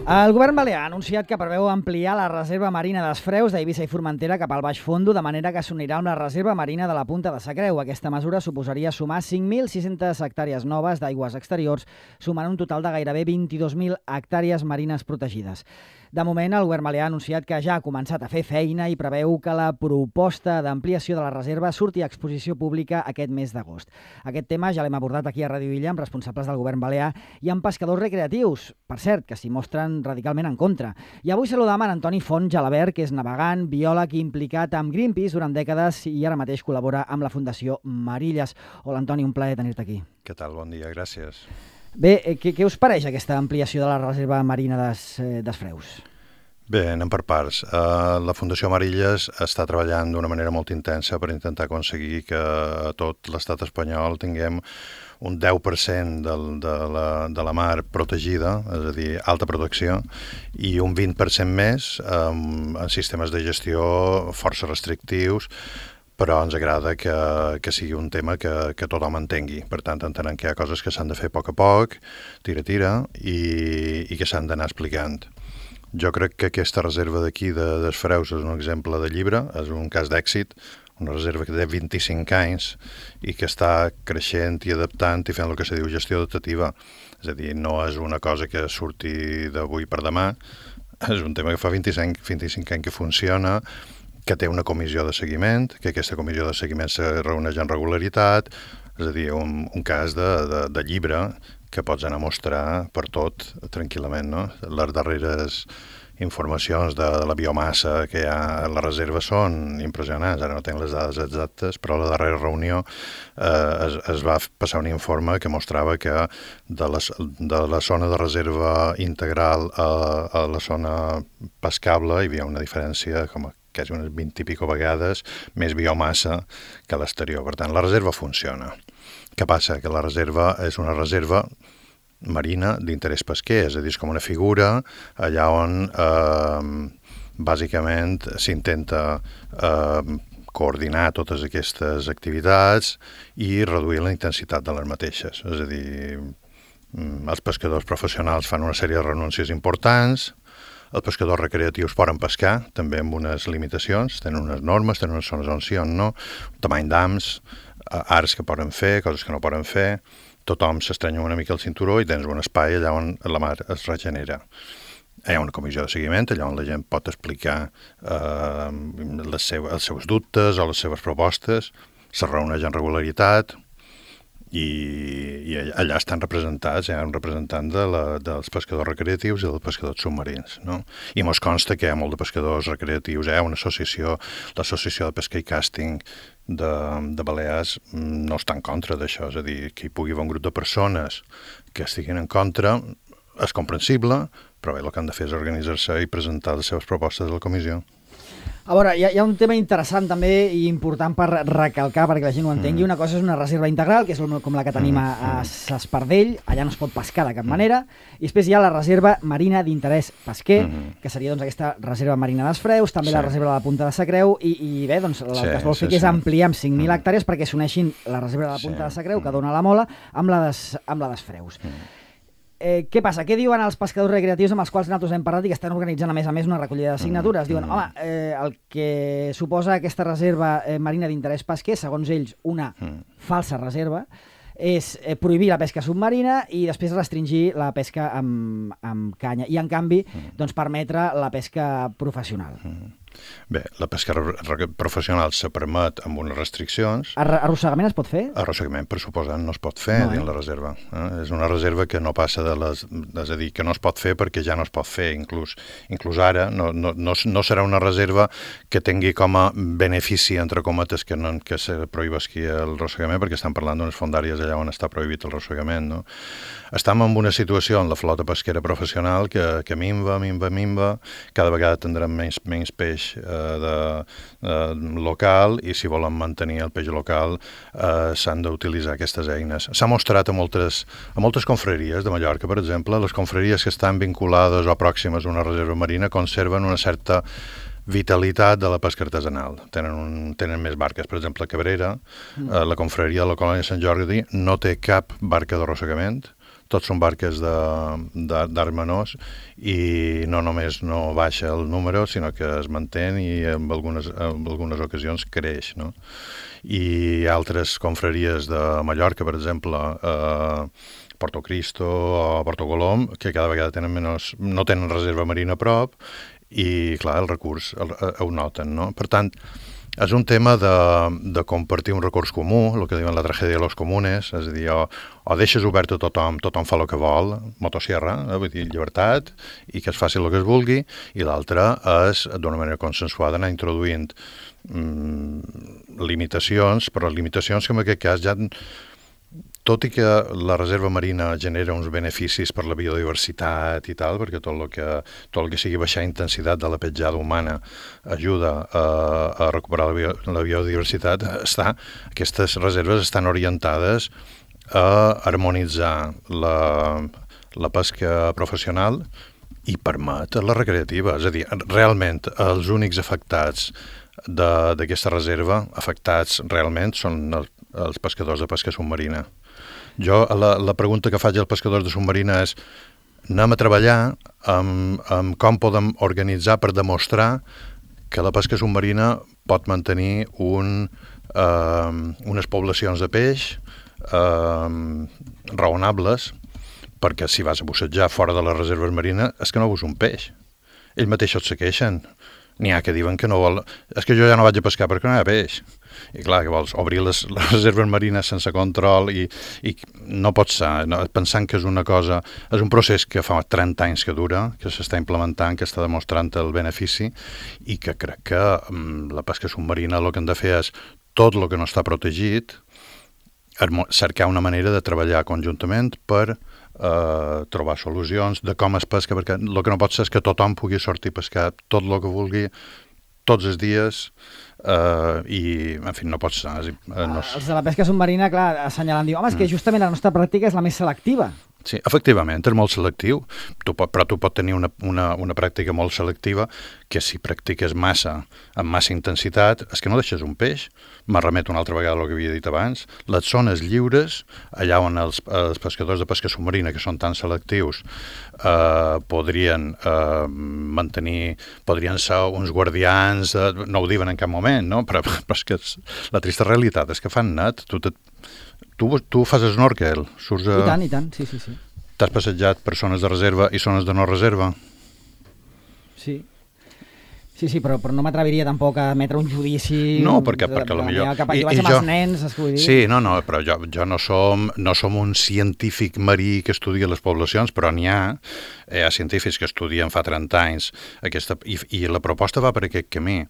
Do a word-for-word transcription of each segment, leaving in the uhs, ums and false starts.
El govern balear ha anunciat que preveu ampliar la reserva marina dels Freus d'Eivissa i Formentera cap al Baix Fondo, de manera que s'unirà amb la reserva marina de la Punta de Sa Creu. Aquesta mesura suposaria sumar cinc mil sis-centes hectàrees noves d'aigües exteriors, sumant un total de gairebé vint-i-dos mil hectàrees marines protegides. De moment, el govern balear ha anunciat que ja ha començat a fer feina i preveu que la proposta d'ampliació de la reserva surti a exposició pública aquest mes d'agost. Aquest tema ja l'hem abordat aquí a Ràdio Illa amb responsables del govern balear i amb pescadors recreatius, per cert, que s'hi mostren radicalment en contra. I avui saludam en Antoni Font Jalabert, que és navegant, biòleg i implicat amb Greenpeace durant dècades i ara mateix col·labora amb la Fundació Marilles. Hola, Antoni, un plaer tenir-te aquí. Què tal? Bon dia, gràcies. Bé, què, què us pareix aquesta ampliació de la reserva marina des, des Freus? Bé, anem per parts. Uh, la Fundació Marilles està treballant d'una manera molt intensa per intentar aconseguir que a tot l'estat espanyol tinguem un deu per cent del, de, la, de la mar protegida, és a dir, alta protecció, i un vint per cent més um, en sistemes de gestió força restrictius, però ens agrada que, que sigui un tema que, que tothom entengui. Per tant, entenem que hi ha coses que s'han de fer a poc a poc, tira-tira, i, i que s'han d'anar explicant. Jo crec que aquesta reserva d'aquí de, dels Freus és un exemple de llibre, és un cas d'èxit, una reserva que té vint-i-cinc anys i que està creixent i adaptant i fent el que se diu gestió adaptativa. És a dir, no és una cosa que surti d'avui per demà, és un tema que fa vint-i-cinc, vint-i-cinc anys que funciona, que té una comissió de seguiment, que aquesta comissió de seguiment se reuneix en regularitat, és a dir, un, un cas de, de, de llibre que pots anar a mostrar per tot tranquil·lament, no? Les darreres informacions de, de la biomassa que hi ha a la reserva són impressionants. Ara no tinc les dades exactes, però a la darrera reunió eh, es, es va passar un informe que mostrava que de, les, de la zona de reserva integral a, a la zona pescable hi havia una diferència com a quasi unes vint i pico vegades més biomassa que a l'exterior. Per tant, la reserva funciona. Què passa? Que la reserva és una reserva marina d'interès pesquer, és a dir, és com una figura allà on eh, bàsicament s'intenta eh, coordinar totes aquestes activitats i reduir la intensitat de les mateixes. És a dir, els pescadors professionals fan una sèrie de renúncies importants, els pescadors recreatius poden pescar, també amb unes limitacions, tenen unes normes, tenen unes zones on sí o no, tamany d'ams, arts que poden fer, coses que no poden fer, tothom s'estrenya una mica el cinturó i tens un espai allà on la mar es regenera. Hi ha una comissió de seguiment, allà on la gent pot explicar eh, les seu, els seus dubtes o les seves propostes, se reuneix en regularitat, I, i allà estan representats, hi ha un representant de la, dels pescadors recreatius i dels pescadors submarins, no? I mos consta que hi ha molt de pescadors recreatius, hi ha una associació, l'associació de pesca i càsting de, de Balears no està en contra d'això, és a dir, que hi pugui haver un grup de persones que estiguin en contra és comprensible, però bé, el que han de fer és organitzar-se i presentar les seves propostes a la comissió. A veure, hi ha, hi ha un tema interessant també i important per recalcar perquè la gent ho entengui. Una cosa és una reserva integral, que és com la que tenim a, a S'Espardell, allà no es pot pescar de cap manera, i després hi ha la reserva marina d'interès pesquer, que seria doncs, aquesta reserva marina dels Freus, també sí. La reserva de la Punta de Sa Creu, i, i bé, doncs, el sí, que es vol fer sí, és sí. ampliar amb cinc mil hectàrees perquè s'uneixin la reserva de la Punta sí. de Sa Creu, que dona la Mola, amb la des, amb la des Freus. Eh, què passa? Què diuen els pescadors recreatius amb els quals nosaltres hem parlat i que estan organitzant a més a més una recollida de signatures? Diuen, home, eh, el que suposa aquesta reserva eh, marina d'interès pesquer, segons ells, una falsa reserva, és eh, prohibir la pesca submarina i després restringir la pesca amb, amb canya i, en canvi, doncs, permetre la pesca professional. Bé, la pesca professional se permet amb unes restriccions. Arrossegament es pot fer? Arrossegament, per suposant, no es pot fer no, eh? dins la reserva. Eh? És una reserva que no passa de les... És a dir, que no es pot fer perquè ja no es pot fer. Inclús, inclús ara no, no, no, no serà una reserva que tingui com a benefici, entre cometes, que, no, que se prohibesqui el rossegament, perquè estan parlant d'unes fondàries allà on està prohibit el rossegament. No? Estem en una situació en la flota pesquera professional que, que minva, minva, minva, cada vegada tindrem menys, menys peix eh, de, eh, local i si volen mantenir el peix local eh, s'han d'utilitzar aquestes eines. S'ha mostrat a moltes, a moltes confraries de Mallorca, per exemple, les confraries que estan vinculades o pròximes a una reserva marina conserven una certa vitalitat de la pesca artesanal. Tenen, un, tenen més barques. Per exemple, a Cabrera, mm. eh, la confraria de la colònia Sant Jordi no té cap barca d'arrossegament, tots són barques d'arts menors i no només no baixa el número, sinó que es manté i en algunes, en algunes ocasions creix, no? I altres confraries de Mallorca, per exemple, eh, Porto Cristo o Porto Colom, que cada vegada tenen menys, no tenen reserva marina a prop i, clar, el recurs el, ho noten, no? Per tant, és un tema de, de compartir un recurs comú, el que diuen la tragèdia de los comunes, és a dir, o, o deixes obert a tothom, tothom fa el que vol, motosierra, eh, vull dir, llibertat, i que es faci el que es vulgui, i l'altra és, d'una manera consensuada, anar introduint mm, limitacions, però limitacions que en aquest cas ja... Tot i que la reserva marina genera uns beneficis per la biodiversitat i tal, perquè tot el que, tot el que sigui baixar intensitat de la petjada humana ajuda a, a recuperar la, bio, la biodiversitat, està, aquestes reserves estan orientades a harmonitzar la, la pesca professional i permet la recreativa. És a dir, realment els únics afectats d'aquesta reserva, afectats realment, són els, els pescadors de pesca submarina. Jo, la, la pregunta que faig als pescadors de submarina és anem a treballar amb, amb com podem organitzar per demostrar que la pesca submarina pot mantenir un, eh, unes poblacions de peix eh, raonables, perquè si vas a bussejar fora de les reserves marines és que no veus un peix. Ells mateixos se queixen. N'hi ha que diuen que no vol... És que jo ja no vaig a pescar perquè no hi ha peix. I clar, que vols obrir les, les reserves marines sense control i, i no pot ser, no, pensant que és una cosa, és un procés que fa trenta anys que dura, que s'està implementant, que està demostrant el benefici i que crec que um, la pesca submarina el que hem de fer és tot el que no està protegit, cercar una manera de treballar conjuntament per eh, trobar solucions de com es pesca, perquè el que no pot ser és que tothom pugui sortir a pescar tot el que vulgui, tots els dies, Uh, i, en fi, no pot ser. Uh, no... Els de la pesca submarina, clar, assenyalant, diu, home, és que justament la nostra pràctica és la més selectiva. Sí, efectivament, és molt selectiu, tu pot, però tu pots tenir una, una, una pràctica molt selectiva que si practiques massa, amb massa intensitat, és que no deixes un peix. Me remeto una altra vegada al que havia dit abans. Les zones lliures, allà on els, els pescadors de pesca submarina, que són tan selectius, eh, podrien eh, mantenir, podrien ser uns guardians, eh, no ho diuen en cap moment, no? Però, però és que és, la trista realitat és que fan net, tu te, Tu, tu fas snorkel? Surts a... I tant, i tant, sí, sí, sí. T'has passejat per zones de reserva i zones de no reserva? Sí. Sí, sí, però, però no m'atreviria tampoc a emetre un judici... No, perquè, de, perquè de, potser... Cap a, I, jo vaig amb jo... els nens, es vull dir... Sí, no, no, però jo, jo no, som, no som un científic marí que estudia les poblacions, però n'hi ha, hi ha científics que estudien fa trenta anys aquesta, i, i la proposta va per aquest camí.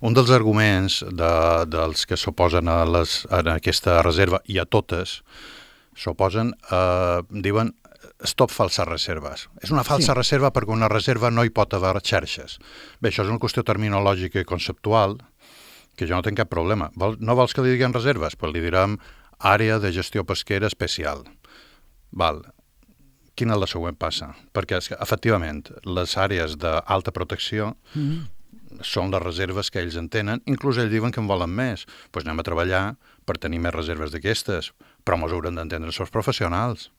Un dels arguments de, dels que s'oposen a, les, a aquesta reserva i a totes, s'oposen, eh, diuen stop falses reserves. És una falsa sí. reserva perquè una reserva no hi pot haver xarxes. Bé, això és una qüestió terminològica i conceptual que jo no tinc cap problema. Vol, no vols que li diguem reserves? Pues li direm àrea de gestió pesquera especial. Val. Quina és la següent passa? Perquè, efectivament, les àrees d'alta protecció mm-hmm. són les reserves que ells en tenen. Inclús ells diuen que en volen més. Doncs pues anem a treballar per tenir més reserves d'aquestes. Però ens hauran d'entendre els seus professionals.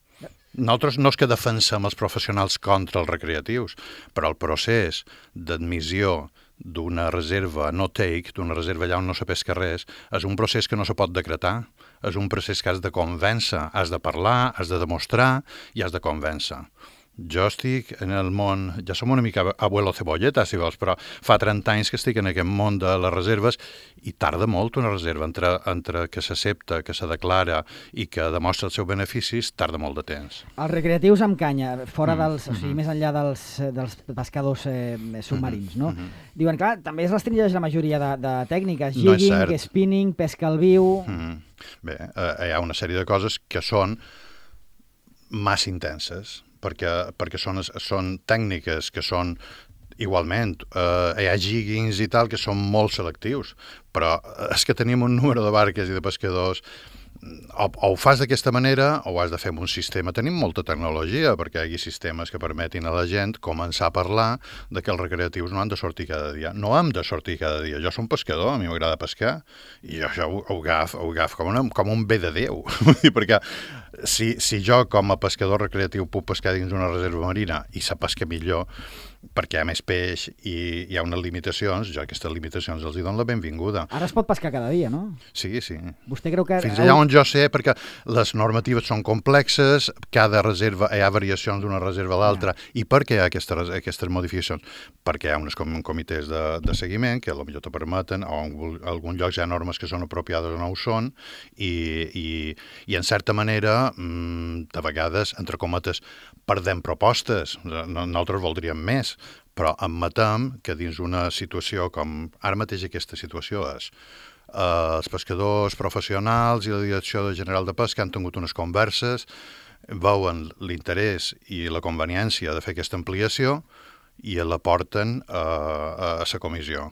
Nosaltres no és que defensem els professionals contra els recreatius, però el procés d'admissió d'una reserva no take, d'una reserva allà on no se pesca res, és un procés que no se pot decretar, és un procés que has de convèncer, has de parlar, has de demostrar i has de convèncer. Jo estic en el món, ja som una mica abuelo cebolleta, si vols, però fa trenta anys que estic en aquest món de les reserves i tarda molt una reserva entre, entre que s'accepta, que se declara i que demostra els seus beneficis, tarda molt de temps. Els recreatius amb canya, fora mm, dels, mm-hmm. o sigui, més enllà dels, dels pescadors eh, submarins, no? Mm-hmm. Diuen, clar, també es restringeix la majoria de, de tècniques, jigging, no spinning, pesca al viu... Mm-hmm. Bé, eh, hi ha una sèrie de coses que són massa intenses, perquè, perquè són, són tècniques que són igualment, eh, hi ha jiggings i tal que són molt selectius, però és que tenim un número de barques i de pescadors, o, o ho fas d'aquesta manera o ho has de fer amb un sistema. Tenim molta tecnologia perquè hi hagi sistemes que permetin a la gent començar a parlar de que els recreatius no han de sortir cada dia. No hem de sortir cada dia. Jo som pescador, a mi m'agrada pescar, i jo això ho, ho agafo, ho agafo com, una, com un bé de Déu, perquè si, si jo com a pescador recreatiu puc pescar dins una reserva marina i se pesca millor, perquè hi ha més peix i hi ha unes limitacions, jo aquestes limitacions els hi dono la benvinguda. Ara es pot pescar cada dia, no? Sí, sí. Vostè creu que... Fins allà on jo sé, perquè les normatives són complexes, cada reserva, hi ha variacions d'una reserva a l'altra, yeah. I per què hi ha aquestes, aquestes modificacions? Perquè hi ha uns com, comitès de, de seguiment que potser te permeten, o en alguns llocs hi ha normes que són apropiades o no ho són, i, i, i en certa manera, mmm, de vegades, entre cometes, perdem propostes. Nosaltres voldríem més, però admetem que dins una situació com ara mateix aquesta situació és eh, els pescadors professionals i la Direcció General de Pesca han tingut unes converses, veuen l'interès i la conveniència de fer aquesta ampliació i la porten eh, a la comissió.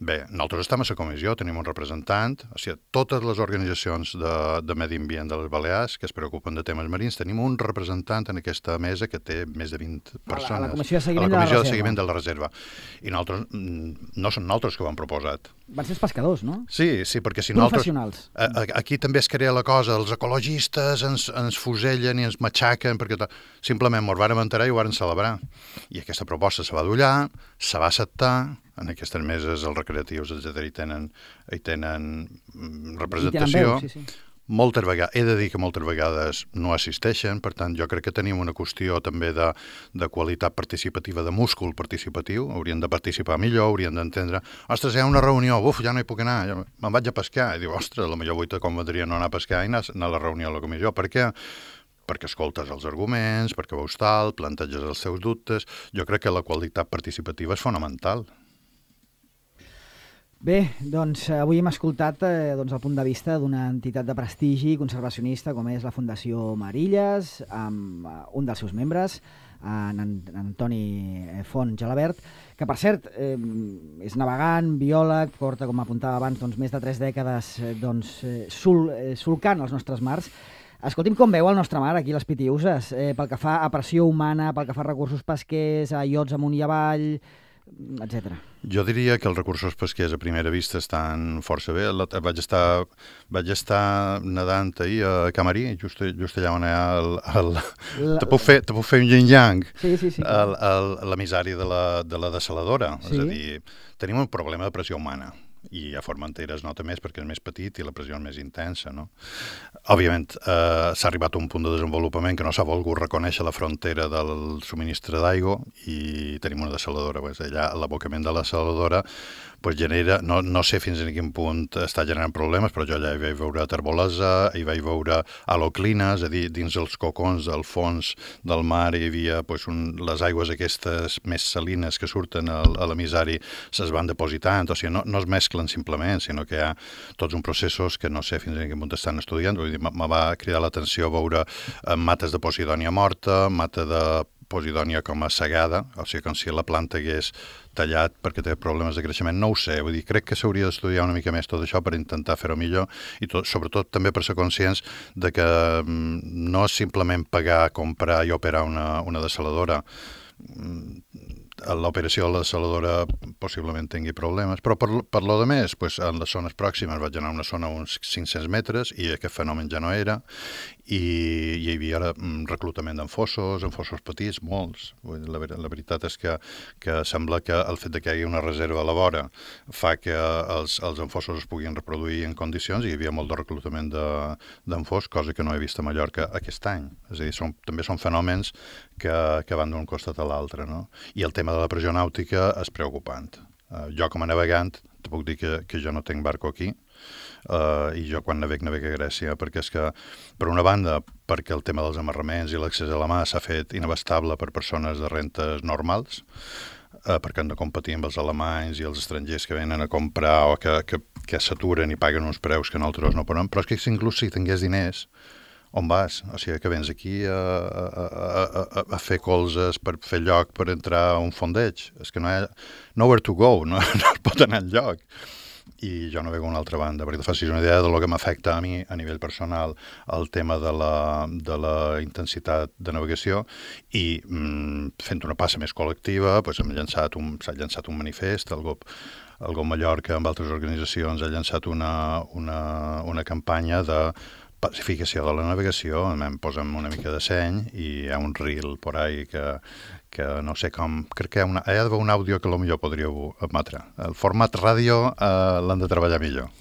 Bé, nosaltres estem a la comissió, tenim un representant, o sigui, totes les organitzacions de, de medi ambient de les Balears que es preocupen de temes marins, tenim un representant en aquesta mesa que té més de vint persones. A la, a la comissió de seguiment, a la comissió de, la de, seguiment de la reserva. I nosaltres, no són nosaltres que ho han proposat. Van ser els pescadors, no? Sí, sí, perquè si Professionals. nosaltres... Aquí també es crea la cosa, els ecologistes ens, ens fusellen i ens matxaquen, perquè simplement ens vàrem enterar i ho vàrem celebrar. I aquesta proposta se va adullar, se va acceptar, en aquestes meses els recreatius, etcètera, hi tenen, hi tenen representació. Hi tenen veu, sí, sí. Moltes vegades, he de dir que moltes vegades no assisteixen, per tant, jo crec que tenim una qüestió també de, de qualitat participativa, de múscul participatiu, haurien de participar millor, haurien d'entendre, ostres, hi ha una reunió, uf, ja no hi puc anar, ja me'n vaig a pescar, i diu, ostres, la millor avui te convendria no anar a pescar i anar a la reunió a la comissió, per què? Perquè escoltes els arguments, perquè veus tal, planteges els teus dubtes, jo crec que la qualitat participativa és fonamental. Bé, doncs avui hem escoltat eh, doncs, el punt de vista d'una entitat de prestigi conservacionista com és la Fundació Marilles, amb uh, un dels seus membres, en, en Antoni Font Gelabert, que per cert eh, és navegant, biòleg, porta, com apuntava abans, doncs, més de tres dècades eh, doncs, eh, sul, eh, solcant els nostres mars. Escolti'm com veu el nostre mar aquí a les Pitiüses, eh, pel que fa a pressió humana, pel que fa a recursos pesquers, a iots amunt i avall, etcètera. Jo diria que els recursos pesquers a primera vista estan força bé. Vaig estar, vaig estar nedant ahir a Camarí, just, just allà on hi ha el... el la... Te puc fer, te puc fer un yin-yang, sí, sí, sí. l'emissari de, la, de la desaladora. Sí. És a dir, tenim un problema de pressió humana. I a Formentera es nota més perquè és més petit i la pressió és més intensa, no? Òbviament, eh, s'ha arribat a un punt de desenvolupament que no s'ha volgut reconèixer la frontera del subministre d'aigua i tenim una desaladora. Pues, allà l'abocament de la desaladora pues, genera, no, no sé fins a quin punt està generant problemes, però jo allà hi vaig veure terbolesa, hi vaig veure haloclines, és a dir, dins els cocons del fons del mar hi havia pues, un, les aigües aquestes més salines que surten al, a l'emissari se's van depositant, o sigui, no, no es mesclen simplement, sinó que hi ha tots uns processos que no sé fins a quin punt estan estudiant. Vull dir, me va cridar l'atenció veure mates de posidònia morta, mata de posidònia com a segada, o sigui, com si la planta hagués tallat perquè té problemes de creixement, no ho sé, vull dir, crec que s'hauria d'estudiar una mica més tot això per intentar fer-ho millor i tot, sobretot també per ser conscients de que mm, no és simplement pagar, comprar i operar una, una desaladora. L'operació de la desaladora possiblement tingui problemes, però per, per lo de més, pues, en les zones pròximes vaig anar a una zona uns cinc-cents metres i aquest fenomen ja no era i hi havia ara reclutament d'enfossos, enfossos petits, molts. La, la veritat és que, que sembla que el fet de que hi hagi una reserva a la vora fa que els, els enfossos es puguin reproduir en condicions i hi havia molt de reclutament d'enfos, de, cosa que no he vist a Mallorca aquest any. És a dir, són, també són fenòmens que, que van d'un costat a l'altre, no? I el tema de la pressió nàutica és preocupant. Uh, jo com a navegant te puc dir que, que jo no tinc barco aquí uh, i jo quan naveg naveg a Grècia perquè és que, per una banda, perquè el tema dels amarraments i l'accés a la mà s'ha fet inabastable per persones de rentes normals, uh, perquè han de competir amb els alemanys i els estrangers que venen a comprar o que, que, que s'aturen i paguen uns preus que nosaltres no podem, però és que inclús si tingués diners, on vas? O sigui, que vens aquí a, a, a, a, a fer colzes per fer lloc per entrar a un fondeig. És que no hi ha nowhere to go, no, no es pot anar enlloc. I jo no veig una altra banda, perquè te facis una idea del que m'afecta a mi a nivell personal el tema de la, de la intensitat de navegació i mm, fent una passa més col·lectiva pues, hem llançat un, s'ha llançat un manifest, el G O P, el G O P Mallorca amb altres organitzacions ha llançat una, una, una campanya de pacificació de la navegació, em posem una mica de seny i hi ha un reel por ahí que, que no sé com... Crec que hi ha, una, hi ha un àudio que potser podríeu emetre. El format ràdio eh, l'han de treballar millor.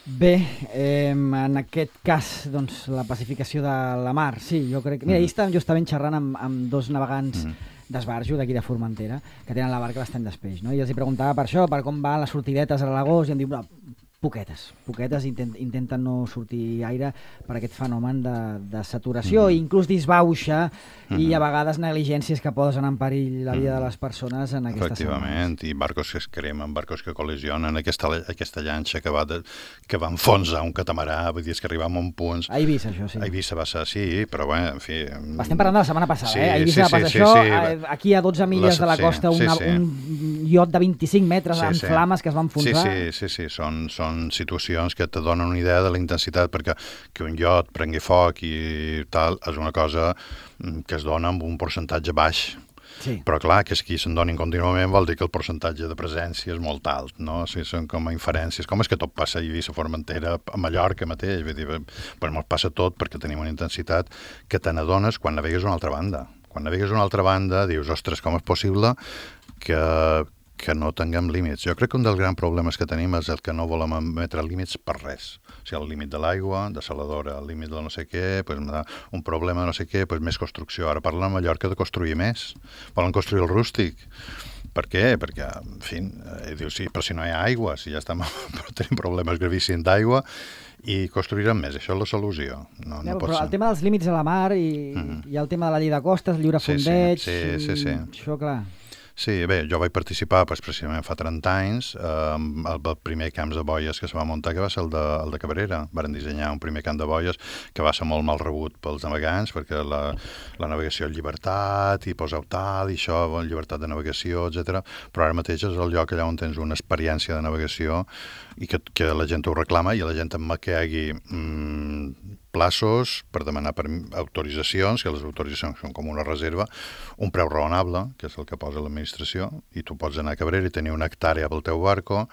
Bé, eh, en aquest cas, doncs, la pacificació de la mar, sí, jo crec... Mira, mm. ahir estàvem justament xerrant amb, amb dos navegants mm. d'Esbarjo, d'aquí de Formentera, que tenen la barca bastant d'espeix, no? I els hi preguntava per això, per com van les sortidetes a l'agost, i em diu, no, poquetes, poquetes, intent, intenten no sortir aire per aquest fenomen de, de saturació, mm. inclús disbauxa, mm. i a vegades negligències que posen en perill la vida mm. de les persones en aquestes Efectivament, setmanes. I barcos que es cremen, barcos que col·lisionen, aquesta, aquesta llanxa que va, de, que va enfonsar un catamarà, vull dir, és que arribàvem a un punt... A Eivissa, això, sí. A Eivissa va ser, sí, però bé, en fi... Estem parlant de la setmana passada, sí, eh? A Eivissa sí, va passar sí, això, sí, sí. Aquí a dotze milles la, de la costa, sí, una, sí, sí. un iot de vint-i-cinc metres sí, en sí. flames que es van enfonsar. Sí, sí, sí, sí. Són, són situacions que te donen una idea de la intensitat, perquè que un iot prengui foc i tal és una cosa que es dona amb un percentatge baix. Sí. Però clar, que aquí se'n donin contínuament vol dir que el percentatge de presència és molt alt, no? O sigui, són com a inferències. Com és que tot passa a Eivissa, Formentera, a Mallorca mateix? Vull dir, però ens passa tot perquè tenim una intensitat que te n'adones quan navegues a una altra banda. Quan navegues a una altra banda dius, ostres, com és possible que, que no tinguem límits? Jo crec que un dels grans problemes que tenim és el que no volem emetre límits per res. O sigui, el límit de l'aigua, de saladora, el límit de no sé què, pues, un problema de no sé què, pues, més construcció. Ara parlen a Mallorca de construir més. Volen construir el rústic. Per què? Perquè, en fi, eh, diu, sí, però si no hi ha aigua, si ja estem, però tenim problemes gravíssims d'aigua, i construirem més, això és la solució. No, ja, no però pot el ser. tema dels límits a la mar i, mm-hmm. i el tema de la llei de costes, lliure sí, fondeig, sí, sí, sí, sí. això clar... Sí, bé, jo vaig participar pues, precisament fa trenta anys eh, amb el primer camp de boies que se va muntar, que va ser el de, el de Cabrera. Varen dissenyar un primer camp de boies que va ser molt mal rebut pels navegants, perquè la, la navegació és llibertat, i poseu tal, i això, llibertat de navegació, etcètera. Però ara mateix és el lloc allà on tens una experiència de navegació i que, que la gent ho reclama, i la gent amb que hi hagi mmm, plaços per demanar per autoritzacions, que les autoritzacions són com una reserva, un preu raonable, que és el que posa l'administració, i tu pots anar a Cabrera i tenir una hectàrea pel teu barco,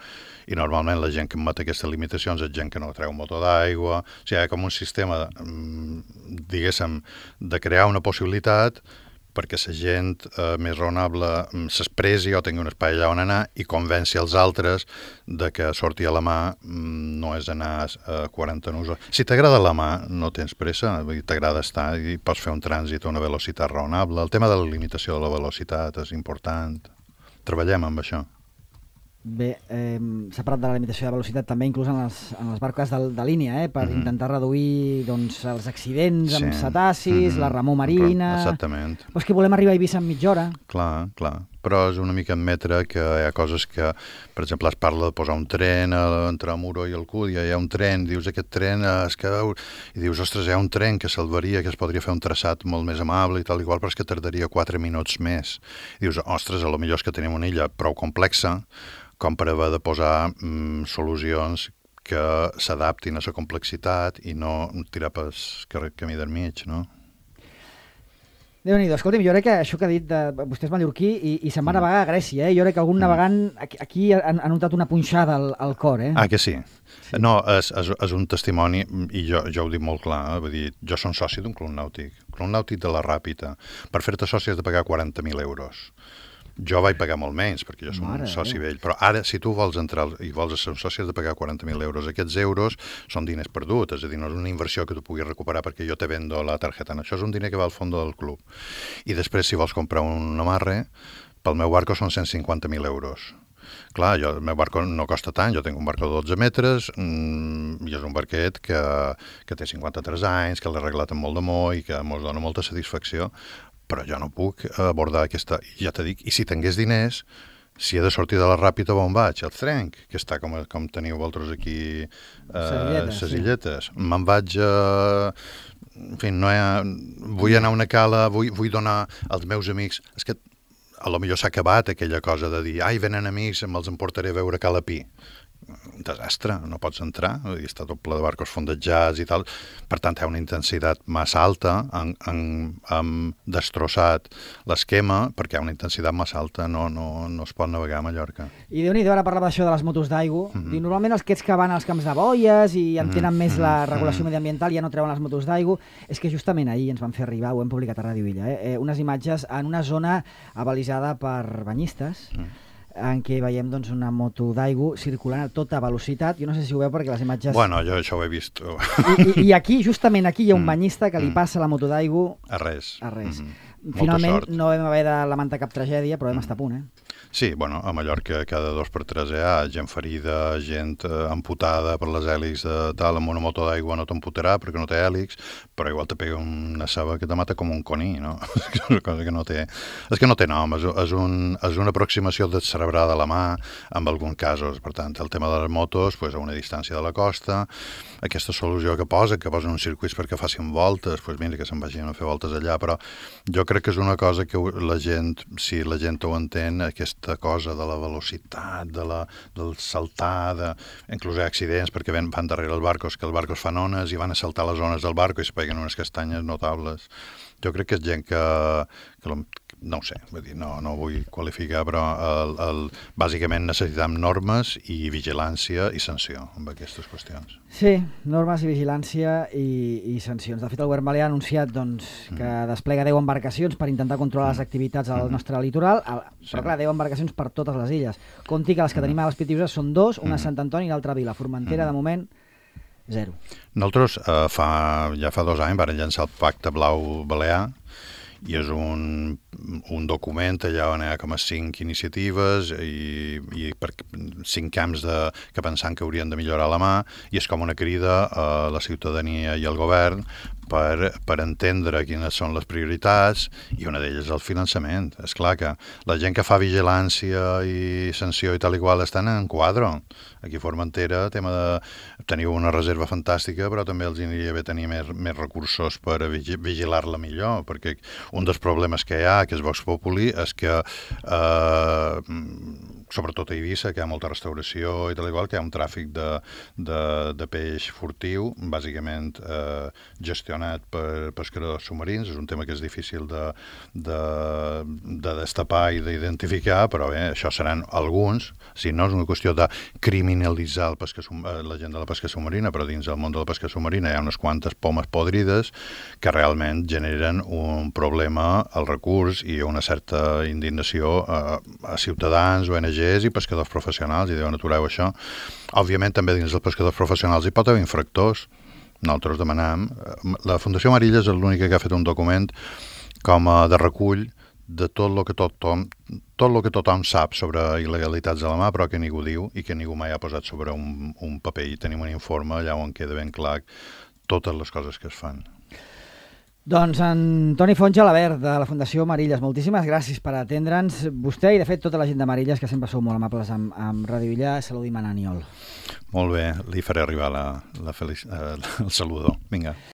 i normalment la gent que emet aquestes limitacions és gent que no treu motor d'aigua, o sigui, hi ha com un sistema, diguéssim, de crear una possibilitat perquè la gent eh, més raonable s'expressi o tingui un espai allà on anar i convenci els altres de que sortir a la mà mm, no és anar a quaranta nus. Si t'agrada la mà, no tens pressa, t'agrada estar i pots fer un trànsit a una velocitat raonable. El tema de la limitació de la velocitat és important. Treballem amb això. Bé, eh, s'ha parlat de la limitació de velocitat també inclús en les, en les barques de, de línia, eh, per mm-hmm. intentar reduir doncs, els accidents sí. amb cetacis, mm-hmm. la remor marina... Exactament. Però és que volem arribar a Eivissa en mitja hora. Clar, clar. Però és una mica admetre que hi ha coses que, per exemple, es parla de posar un tren entre Muro i Alcúdia, hi ha un tren, dius, aquest tren es queda... I dius, ostres, hi ha un tren que salvaria, que es podria fer un traçat molt més amable i tal, igual, però és que tardaria quatre minuts més. I dius, ostres, a lo millor és que tenim una illa prou complexa com per haver de posar mm, solucions que s'adaptin a la complexitat i no tirar pel camí del mig, no? Déu-n'hi-do, escolta'm, jo crec que això que ha dit de, vostè és mallorquí i, i se'n va mm. navegar a Grècia, eh? Jo crec que algun mm. navegant aquí, aquí ha, ha notat una punxada al, al cor, eh? Ah, que sí? Sí. No, és, és, és un testimoni, i jo, jo ho dic molt clar, eh? Vull dir, jo som soci d'un club nàutic, club nàutic de la Ràpita. Per fer-te soci has de pagar quaranta mil euros. Jo vaig pagar molt menys, perquè jo som Mare un soci vell, però ara, si tu vols entrar i vols ser un soci, has de pagar quaranta mil euros. Aquests euros són diners perduts, és a dir, no és una inversió que tu puguis recuperar perquè jo te vendo la targeta. Això és un diner que va al fons del club. I després, si vols comprar un amarre, pel meu barco són cent cinquanta mil euros. Clar, jo, el meu barco no costa tant, jo tinc un barco de dotze metres, mmm, i és un barquet que, que té cinquanta-tres anys, que l'he arreglat amb molt d'amor i que mos dona molta satisfacció, però jo no puc abordar aquesta... Ja t'he dit, i si tingués diners, si he de sortir de la Ràpita, on vaig? Al Trenc, que està com, com teniu vosaltres aquí, eh, ses illetes. Sí. Me'n vaig a... En fi, no ha... vull anar a una cala, vull, vull donar als meus amics... És que a lo millor s'ha acabat aquella cosa de dir ai, venen amics, me'ls emportaré a veure Cala Pi. un desastre, no pots entrar, i està tot ple de barcos fondejats i tal, per tant hi ha una intensitat massa alta, han, han, han destrossat l'esquema perquè hi ha una intensitat massa alta, no, no, no es pot navegar a Mallorca. I Déu-n'hi-do, ara parlava d'això de les motos d'aigua, Mm-hmm. diu, normalment els aquests que van als camps de boies i entenen Mm-hmm. més la regulació Mm-hmm. mediambiental ja no treuen les motos d'aigua, és que justament ahir ens van fer arribar, ho hem publicat a Ràdio Illa, eh? Eh, unes imatges en una zona abalisada per banyistes, Mm. en què veiem doncs, una moto d'aigua circulant a tota velocitat. Jo no sé si ho veu perquè les imatges... Bueno, jo això ho he vist I, i, I aquí, justament aquí, hi ha un Mm. banyista que li Mm. passa la moto d'aigua a res. a res. Mhm. Molta Finalment sort. no vam haver de lamentar cap tragèdia, però vam estar a punt, eh? Sí, bueno, a Mallorca cada dos per tres hi ha gent ferida, gent eh, amputada per les hèlixs de tal, amb una moto d'aigua no t'amputarà perquè no té hèlix, però igual te pega una ceba que te mata com un coní, no? És una cosa que no té... És que no té nom, és, és, un, és una aproximació descerebrada a la mà, en alguns casos. Per tant, el tema de les motos, pues, a una distància de la costa, aquesta solució que posa, que posen uns circuits perquè facin voltes, pues mira, que se'n vagin a fer voltes allà, però jo crec que és una cosa que la gent, si la gent ho entén, aquesta cosa de la velocitat, de la, del saltar, de... inclús hi ha accidents perquè van, van darrere els barcos, que els barcos fan ones i van a saltar les ones del barco i es peguen unes castanyes notables. Jo crec que és gent que, que no ho sé, vull dir, no, no vull qualificar, però el, el, bàsicament necessitem normes i vigilància i sanció amb aquestes qüestions. Sí, normes i vigilància i, i sancions. De fet, el govern balear ha anunciat doncs, que mm. desplega deu embarcacions per intentar controlar les activitats al nostre litoral, el, Sí. però clar, deu embarcacions per totes les illes. Conti que les que tenim a les Pitiuses són dos, una a Mm. Sant Antoni i l'altra a Vila. Formentera, de moment, zero. Nosaltres eh, fa, ja fa dos anys vam llançar el Pacte Blau Balear i és un, un document allà on hi ha com a cinc iniciatives i, i per, cinc camps de, que pensant que haurien de millorar la mà i és com una crida a la ciutadania i al govern per, per entendre quines són les prioritats i una d'elles és el finançament. És clar que la gent que fa vigilància i sanció i tal i qual estan en quadro. Aquí a Formentera tema de, teniu una reserva fantàstica però també els aniria bé tenir més, més recursos per vigilar-la millor perquè un dels problemes que hi ha, que és Vox Populi, és que eh, sobretot a Eivissa, que hi ha molta restauració i tal igual, que hi ha un tràfic de, de, de peix furtiu, bàsicament eh, gestionat per pescadors submarins. És un tema que és difícil de, de, de destapar i d'identificar, però bé, això seran alguns. Si no és una qüestió de criminalitzar el pesca, la gent de la pesca submarina, però dins del món de la pesca submarina hi ha unes quantes pomes podrides que realment generen un problema al recurs i una certa indignació a, a ciutadans, O N Gs i pescadors professionals, i diuen atureu això. Òbviament també dins dels pescadors professionals hi pot haver infractors. Nosaltres demanam... La Fundació Marilles és l'única que ha fet un document com a de recull de tot el que tothom, tot el que tothom sap sobre il·legalitats de la mà, però que ningú diu i que ningú mai ha posat sobre un, un paper. I tenim un informe allà on queda ben clar totes les coses que es fan. Doncs en Toni Font Gelabert, de la Fundació Marilles, moltíssimes gràcies per atendre'ns. Vostè i, de fet, tota la gent de Marilles, que sempre sou molt amables amb, amb Ràdio Illa, salut i mananiol. Molt bé, li faré arribar la, la feliç, eh, el saludó. Vinga.